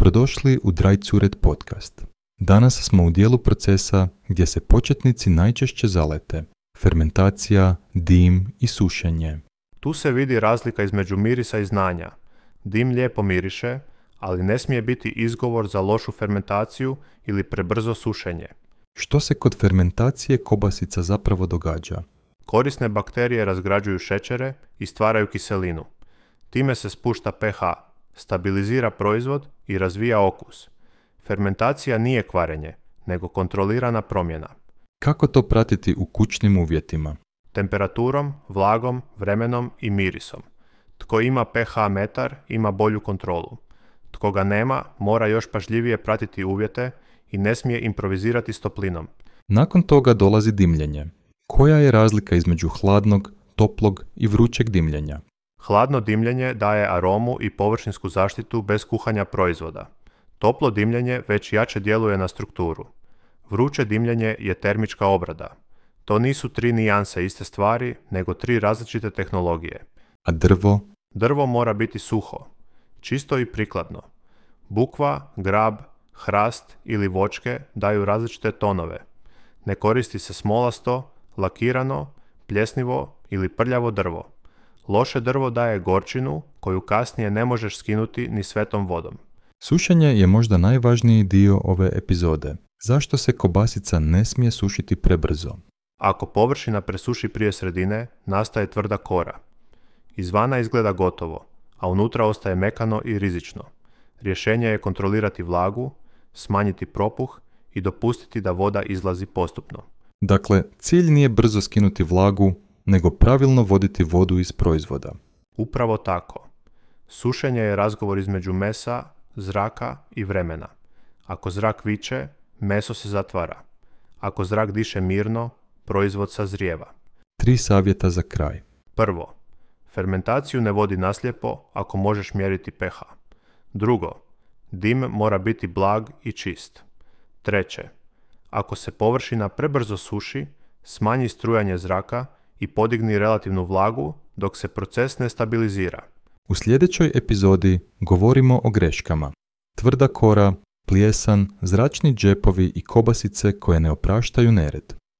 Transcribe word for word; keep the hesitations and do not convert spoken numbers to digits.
Dobrodošli u Dry Cured podcast. Danas smo u dijelu procesa gdje se početnici najčešće zalete. Fermentacija, dim i sušenje. Tu se vidi razlika između mirisa i znanja. Dim lijepo miriše, ali ne smije biti izgovor za lošu fermentaciju ili prebrzo sušenje. Što se kod fermentacije kobasica zapravo događa? Korisne bakterije razgrađuju šećere i stvaraju kiselinu. Time se spušta pH, stabilizira proizvod i razvija okus. Fermentacija nije kvarenje, nego kontrolirana promjena. Kako to pratiti u kućnim uvjetima? Temperaturom, vlagom, vremenom i mirisom. Tko ima pH metar, ima bolju kontrolu. Tko ga nema, mora još pažljivije pratiti uvjete i ne smije improvizirati s toplinom. Nakon toga dolazi dimljenje. Koja je razlika između hladnog, toplog i vrućeg dimljenja? Hladno dimljenje daje aromu i površinsku zaštitu bez kuhanja proizvoda. Toplo dimljenje već jače djeluje na strukturu. Vruće dimljenje je termička obrada. To nisu tri nijanse iste stvari, nego tri različite tehnologije. A drvo? Drvo mora biti suho, čisto i prikladno. Bukva, grab, hrast ili voćke daju različite tonove. Ne koristi se smolasto, lakirano, pljesnivo ili prljavo drvo. Loše drvo daje gorčinu koju kasnije ne možeš skinuti ni svetom vodom. Sušenje je možda najvažniji dio ove epizode. Zašto se kobasica ne smije sušiti prebrzo? Ako površina presuši prije sredine, nastaje tvrda kora. Izvana izgleda gotovo, a unutra ostaje mekano i rizično. Rješenje je kontrolirati vlagu, smanjiti propuh i dopustiti da voda izlazi postupno. Dakle, cilj nije brzo skinuti vlagu, nego pravilno voditi vodu iz proizvoda. Upravo tako. Sušenje je razgovor između mesa, zraka i vremena. Ako zrak viče, meso se zatvara. Ako zrak diše mirno, proizvod sazrijeva. Tri savjeta za kraj. Prvo, fermentaciju ne vodi naslijepo ako možeš mjeriti pH. Drugo, dim mora biti blag i čist. Treće, ako se površina prebrzo suši, smanji strujanje zraka i podigni relativnu vlagu dok se proces ne stabilizira. U sljedećoj epizodi govorimo o greškama. Tvrda kora, plijesan, zračni džepovi i kobasice koje ne opraštaju nered.